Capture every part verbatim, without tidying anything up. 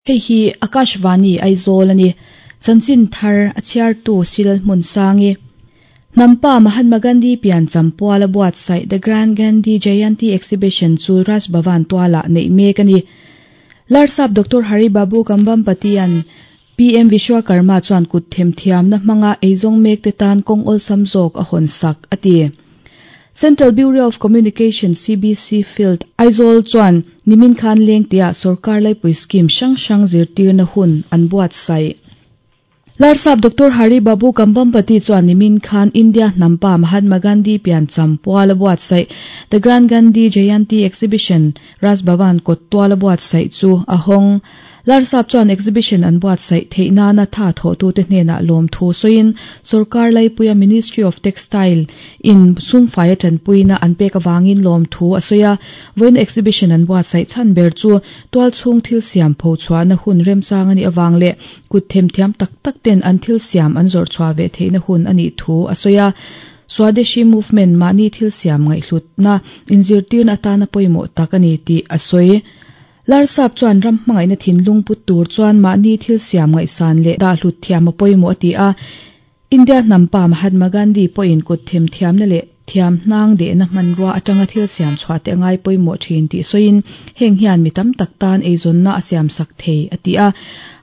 Hei hi Akashvani Aizawl ani. Chanchin thar a chhiartu Silal hmun sangi. Nampa Mahatma Gandhi pian champuala buatsaih The Grand Gandhi Jayanti Exhibition chu Raj Bhavan tuala nei mek ani. Larsap Doctor Hari Babu Kambhampatian P M Vishwakarma chuan kut them thiam na hmanga eizawng mek te tan kawng awlsam zawk a hawn sak ati. Central Bureau of Communication C B C Field Aizawl chuan nimin khan leng tia sarkar laipui scheme hrang hrang zirtir na hun an buatsaih. Larsap Doctor Hari Babu Kambhampati chuan nimin khan India Nampa Mahatma Gandhi pian champuala buatsaih The Grand Gandhi Jayanti Exhibition Raj Bhavan kawttuala buatsaih chu a hawng. Larsap chuan exhibition an buatsaih theihna na tha tho tu te hnena lawm thu soin sarkar laipuia Ministry of Textile in sumfaia tanpuina an pek awangin lawm thu a soya voin exhibition an buatsaih chan ber chu tual chhung thil siam pho chhuah na hun remchang ani awang le kut them thiam tak tak ten an thil siam an zawr chhuah ve theihna hun ani thu a soya. Swadeshi movement mani thil siam ngai hlut na inzirtir na atana pawimawh tak ani ti a soi. Larsap chuan ram hmangaih na thinlung put tur chuan mahni thil siam ngai san le dah hlut thiam a pawimawh ati a. India Nampa Mahatma Gandhi pawhin kut them thiam na le thiam hnang de na hmanrua atanga thil siam chhuah te ngai pawimawh thin tih sawiin heng hian mi tam tak tan eizawn na a siam sak thei ati a.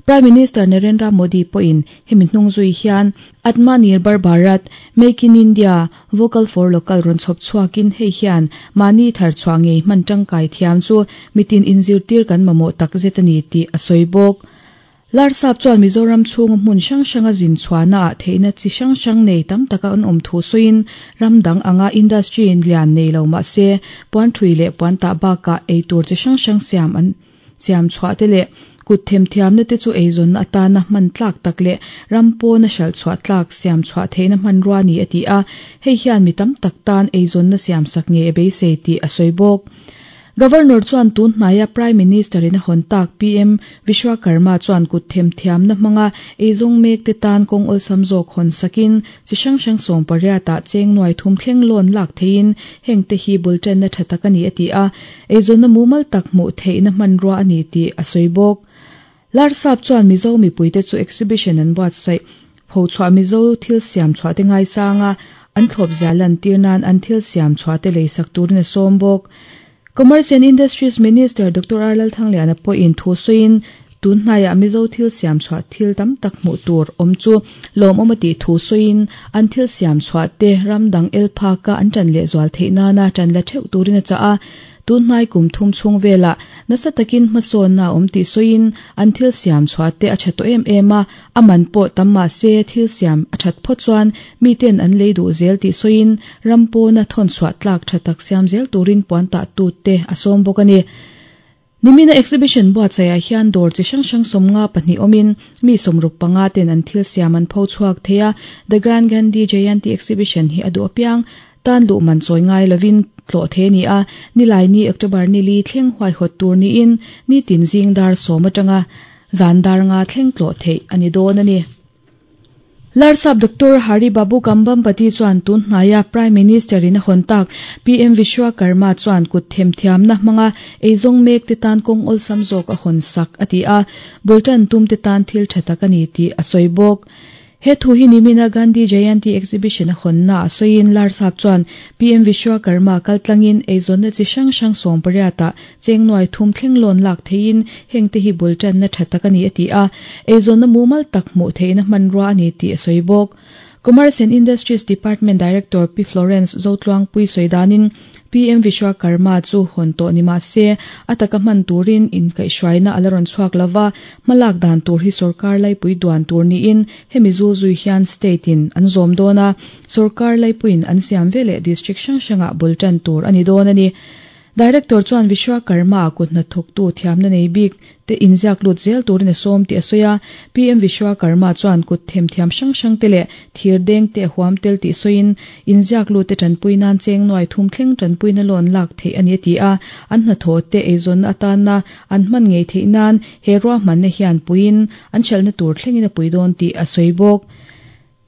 Prime Minister Narendra Modi pawhin hemi hnung zui hian Atmanirbhar Bharat, Make in India, Vocal for Local rawn chhawp chhuakin hei hian mahni thar chhuah ngei hman tangkai thiam chu mitin inzirtir kan mamawh tak zet ani tih a sawi bawk. Larsap chuan Mizoram chhung hmun hrang hranga zin chhuahna ah theihna chi hrang hrang nei tam taka an awm thu sawiin ramdang anga industry in lian nei lo mahse puan thui leh puan tah bakah eitur chi hrang hrang siam an siam chhuah te leh kut them thiam na te chu eizawn na atana hman tlak tak leh rampawn a hral chhuah tlak siam chhuah theihna hmanrua ni ati a. Hei hian mi tam tak tan eizawn na siam sak nge beisei tih a sawi bawk. Governor chuan tun hnaia Prime Minister in a hawn tak P M Vishwakarma chuan kut them thiam na hmanga eizawng mek te tan kawng awlsam zawk hawn sakin chi hrang hrang sawm pariat ah cheng nuai thum thleng lawn lak theiin heng te hi bultan na tha tak ani ati a. Eizawn na mumal tak hmuh theihna hmanrua ani tih a sawi bawk. Larsap chuan Mizo mipui te chu exhibition an buatsaih pho chhuah Mizo thil siam chhuah te ngai sanga an thlawp zia lan tir nan an thil siam chhuah te lei sak turin a sawm bawk. Commerce and Industries Minister Doctor Arlal Thangliana pawhin thu sawiin tun hnaiah Mizo thil siam chhuah thil tam tak hmuh tur awm chu lawm awm ati thu sawiin an thil siam chhuah te ramdang el phaka an tan leh zual theih nana tan la theuh turin a chah a. Tun hnai kum thum chhung vela nasa takin hmasawn na awm tih sawiin an thil siam chhuah te a tha tawh em em a, aman pawh tam mahse thil siam a that phawt chuan miten an lei duh zel tih sawiin rampawna thawn chhuah tlak tha tak siam zel turin puan tah tu te a sawm bawk ani. Nimina exhibition buatsaih ah hian dawr chi hrang hrang sawmnga pahnih awmin mi sawmruk panga ten an thil siam an pho chhuak thei a. The Grand Gandhi Jayanti Exhibition hi a duh apiang tan luh man chawi ngai lovin tlawh the ni a. Nilai ni October ni li thleng huai hawt tur niin ni tin zing dar sawm atanga zan dar nga thleng tlawh theih ani dawn ani. Larsap Doctor Hari Babu Kambhampati chuan tun hnaia Prime Minister in a hawn tak P M Vishwakarma chuan kut them thiam na hmanga eizawng mek te tan kawng awlsam zawk a hawn sak ati a. Bultan tum te tan thil tha tak ani tih a sawi bawk. He thu hi nimina Gandhi Jayanti Exhibition a hawn na a sawiin Larsap chuan P M Vishwakarma kaltlangin eizawn na chi hrang hrang sawm pariat ah cheng nuai thum thleng lawn lak theiin heng te hi bultan na tha tak ani ati a. Eizawn na mumal tak hmuh theihna hmanrua ani tih a sawi bawk. Commerce and Industries Department Director P Florence Zotluang Pui sawidanin P M Vishwakarma chu hawn tawh ni mahse ataka hman turin in kaihhruaina ala rawn chhuak lova hmalak dan tur hi sarkar laipui duan tur niin hemi zul zui hian state in an zawm dawn a. Sarkar laipuiin an siam veleh district hrang hrangah bultan tur ani dawn ani. Director chuan Vishwakarma kut hnathawk tu thiamna nei bik te inziak lut zel turin a sawm tih a sawi a. P M Vishwakarma chuan kut them thiam hrang hrang te leh thir deng te huam tel tih sawiin inziak lut te tanpui nan cheng nuai thum thleng tanpui na lawn lak theih ani ati a. An hnathawh te eizawn atana an hman ngei theih nan he ruahmanna hian puiin an hralhna tur thlengin a pui dawn tih a sawi bawk.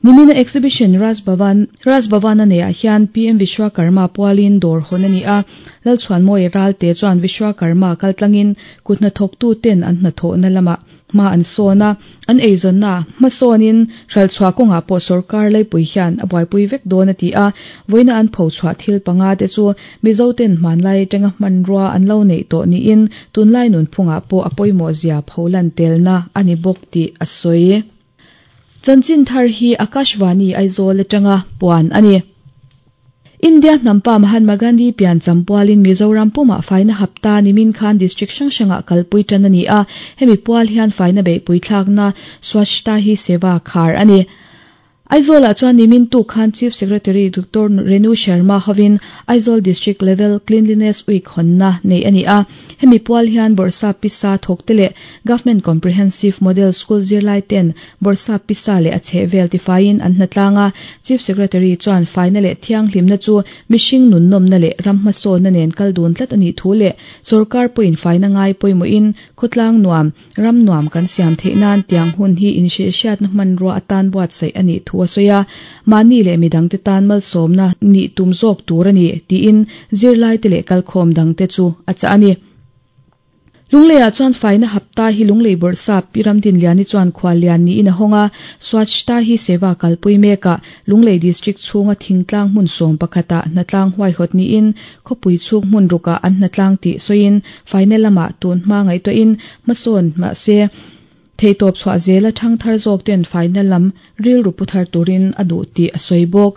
Nimina exhibition Raj Bhavan Raj Bhavan ane hian P M Vishwakarma pualin dawr hawn ani a Lalchhuanmawi Ralte chuan Vishwakarma kaltlangin kutna thawktu ten an hnathawh na lama hma an sawn a an eizawnna hmasawnin hralchhuah kawngah pawh sorkar laipui hian a buaipui vek dawn a ti a vawiina an pho chhuah thil panga te chu Mizo ten hmanlai atanga hmanrua an lo neih tawh niin tunlai nun phungah pawh a pawimawh zia pholan telna ani bawk tih a sawi. Chanchin thar hi Akashvani Aizawl atanga puan ani. India hnampa Mahatma Gandhi pian champualin Mizoram puma faina hapta nimin khan district hrang hranga kalpui tan ani a hemi pual hian faina beihpui thlakna Swachhta Hi Seva khar ani. Aizawl ah chuan nimin tu khan Chief Secretary Doctor Renu Sharma hovin Aizawl District Level Cleanliness Week honna nei ani a hemi pual hian Borsa Pisa thawkte leh Government Comprehensive Model School zirlai ten Borsa Pisa leh a chhehvel tifain an hnatlanga Chief Secretary chuan faina leh thianghlimna chu mihring nunnawmna leh ram hmasawnna nen kal dun tlat ani thu leh sorkar pawhin faina ngai pawimawhin khawtlang nuam ram nuam kan siam theih nan tiang hun hi inhrilhhriatna hmanrua atan buatsaih ani thu a sawi a mahni leh midang te tan malsawmna nih tum zawk tur ani tiin zirlai te leh kalkhawm dang te chu a chah ani. Lungleiah chuan faina hapta hi Lunglei Bawrhsap Pi Ramdinliani chuan khuallian niin a hawnga Swachhta Hi Seva kalpui mekah Lunglei District chhunga thingtlang hmun sawm pakhatah hnatlang huaihawt niin khawpui chhuk hmun rukah an hnatlang tih sawiin faina lamah tun hma ngaihtuahin hmasawn mahse theitawp chhuah zela thang thar zawk ten faina lam rilru pu thar turin a duh tih a sawi bawk.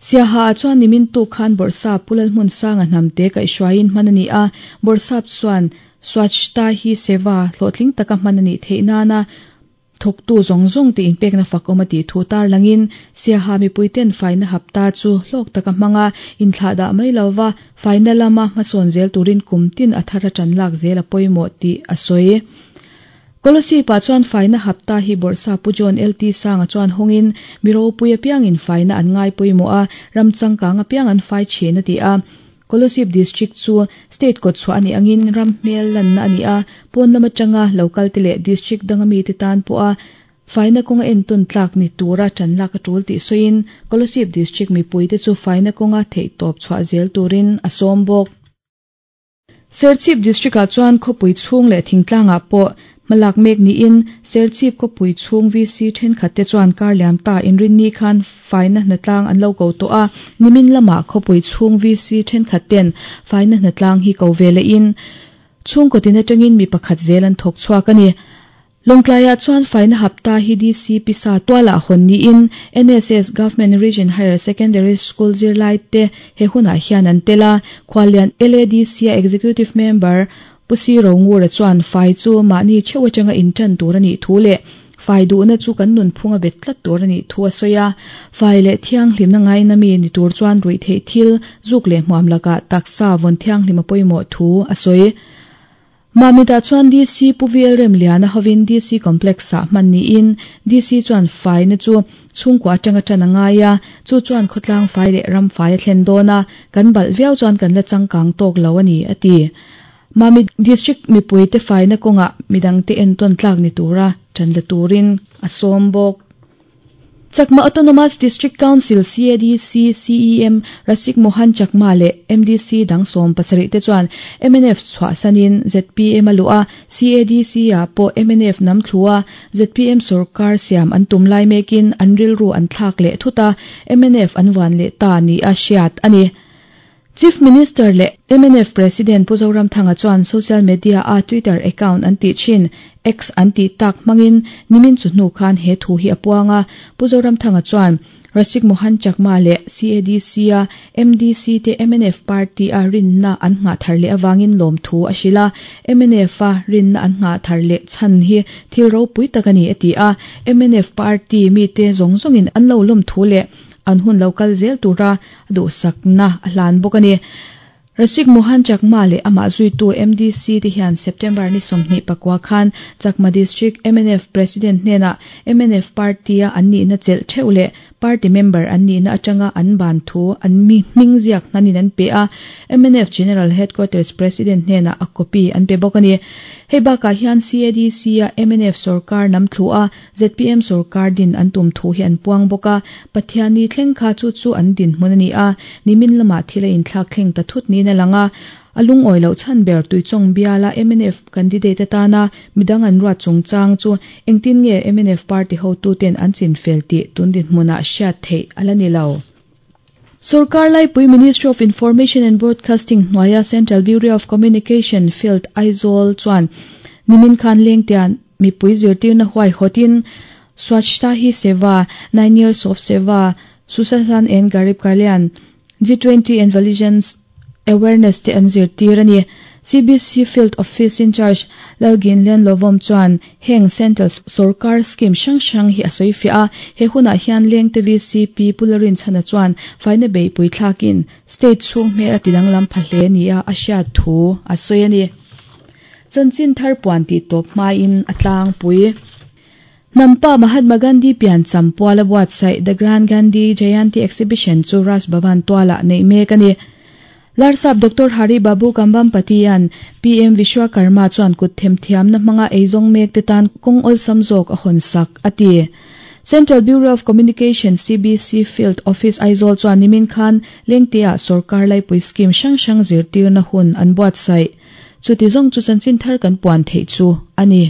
Siaha ah chuan nimin tuk khan Bawrhsap Pu Lalhmunsanga hnamte kaihhruaiin hman ani a Bawrhsap chuan Swachhta Hi Seva hlawhtling taka hman ani theih nana thawktu zawng zawng te inpekna fak awm a tih thu tar langin Siaha mipui ten faina hapta chu hlawk taka hmanga inthlah dah mai lova faina lama hmasawn zel turin kum tin a thar a tan lak zel a pawimawh tih a sawi. Kolosipa chuan faina hapta hi Bawrhsap Pu John L T Sanga chuan hawngin miropui apiangin faina an ngai pawimawh a ram changkang apiang an fai thin a ti a Kolosip District chu state kawt chhuah ani angin ram hmel lanna ani a pawn lama tanga local te leh district danga mi te tan pawh a faina kawnga entawn tlak ni tura tan lak a tul tih sawiin Kolosip District mipui te chu faina kawnga theihtawp chhuah zel turin a sawm bawk. Serchhip District ah chuan khawpui chhung leh thingtlangah pawh malak mek niin Serchhip khawpui chhung V C thenkhat te chuan karliam ta inrinni khan faina hnatlang an lo ko tawh a nimin lama khawpui chhung V C thenkhat ten faina hnatlang hi ko vele in chhung kawtin atangin mi pakhat zel an thawk chhuak ani. Lawngtlaiah chuan faina hapta hi D C Pisa tualah hawn niin N S S Government Region Higher Secondary School zirlai te he hunah hian an tel a khuallian L A D C a Executive Member Pu Si Rongura chuan fai chu mahni theuh atanga intan tur ani thu leh fai duhna chu kan nun phunga bet tlat tur ani thu a sawi a fai leh thianghlimna ngaina mi ni tur chuan ruih theih thil zuk leh hmuam lakah taksa vawn thianghlim a pawimawh thu a sawi. Mamita chuan D C Pu V L Remliana hovin D C Complex ah hman niin D C chuan faina chu chhungkua atanga tan a ngai a chu chuan khawtlang fai leh ram fai a thlen dawn a kan balh viau chuan kan la changkang tawk lo ani a ti. Mami District mipui te faina kawngah midang te entawn tlak ni tura tan la turin a sawm bawk. Chakma Autonomous District Council C A D C C E M Rasik Mohan Chakma leh M D C dang sawm pasarih te chuan M N F chhuah sanin Z P M a luh a C A D C ah pawh M N F nam thlu a Z P M sorkar siam an tum lai mekin an rilru an thlak leh thut a M N F an van leh ta ni a hriat ani. Chief Minister leh M N F President Pu Zoramthanga chuan social media a Twitter account an tih thin X an tih tak hmangin nimin chu hnu khan he thu hi a puanga Pu Zoramthanga chuan Rasik Mohan Chakma leh C A D C a M D C te M N F party a rinna an ngah thar leh awangin lawm thu a hrila M N F a rinna an ngah thar leh chhan hi thil ropui tak ani a ti a M N F party mi te zawng zawngin an lo lawm thu leh an hun lokal zel tura duhsakna a hlan bawk ani. Rasik Mohan Chakma leh amah zuitu M D C te hian September ni sawmhnih pakua khan Chakma District M N F President hnenah M N F party a an nihna chelh theuh leh party member an nihna atanga an ban thu an mi hming ziak hnanin an pe a, M N F General Headquarters President hnenah a copy an pe bawk a ni. Hei bakah hian C A D C a M N F sorkar nam thlu a Z P M sorkar din an tum thu hi an puang bawk a. Pathianni thleng kha chu chu an din hmun a ni a, nimin lamah thil a inthlak thleng ta thut niin a lang a. A lungawi loh chhan ber Tuichawng biala M N F candidate atana midang an ruat chungchang chu engtin nge M N F party hotuten an chin fel tih tun dinhmunah hriat theih a la ni lo. Sarkar Laipui Ministry of Information and Broadcasting hnuaia Central Bureau of Communication Field Aizawl chuan nimin khan Lengteah mipui zirtirna huai hawtin Swachhta Hi Seva, Nine Years of Seva, Sushasan and Garib Kalyan, G twenty and Vigilance Awareness te an zirtir a ni. C B C Field Office in Charge Lalginlen Lovom chuan heng Central Sarkar scheme hrang hrang hi a sawi fiah a. He hunah hian Lengte V C P Pularin chhana chuan faina beihpui thlakin state chhung hmel a tidanglam pha hle ni a a hriat thu a sawi a ni. Chanchin thar puan tih tawp hmain a tlangpui. Hnampa Mahatma Gandhi piancham puala buatsaih The Grand Gandhi Jayanti Exhibition chu Raj Bhavan tualah neih mek a ni. Larsap Doctor Hari Babu Kambhampati-an P M Vishwakarma chuan kut themthiamna hmanga eizawng mek te tan kawng awlsam zawk a hawn sak a ti. Central Bureau of Communication C B C Field Office Aizawl chuan nimin khan Lengteah Sorkar Laipui scheme hrang hrang zirtirna hun an buatsaih. Chuti zawng chu chanchin thar kan puan theih chu a ni.